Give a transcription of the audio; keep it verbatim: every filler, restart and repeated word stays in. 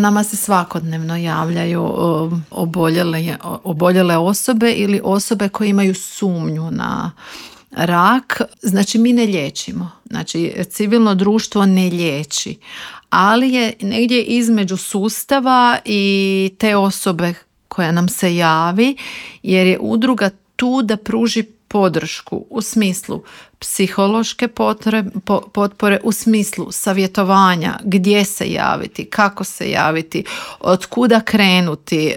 Nama se svakodnevno javljaju oboljele, oboljele osobe ili osobe koje imaju sumnju na rak. Znači mi ne liječimo. Znači civilno društvo ne liječi. Ali je negdje između sustava i te osobe koja nam se javi, jer je udruga tu da pruži podršku u smislu psihološke potrebe, potpore, u smislu savjetovanja, gdje se javiti, kako se javiti, od kuda krenuti,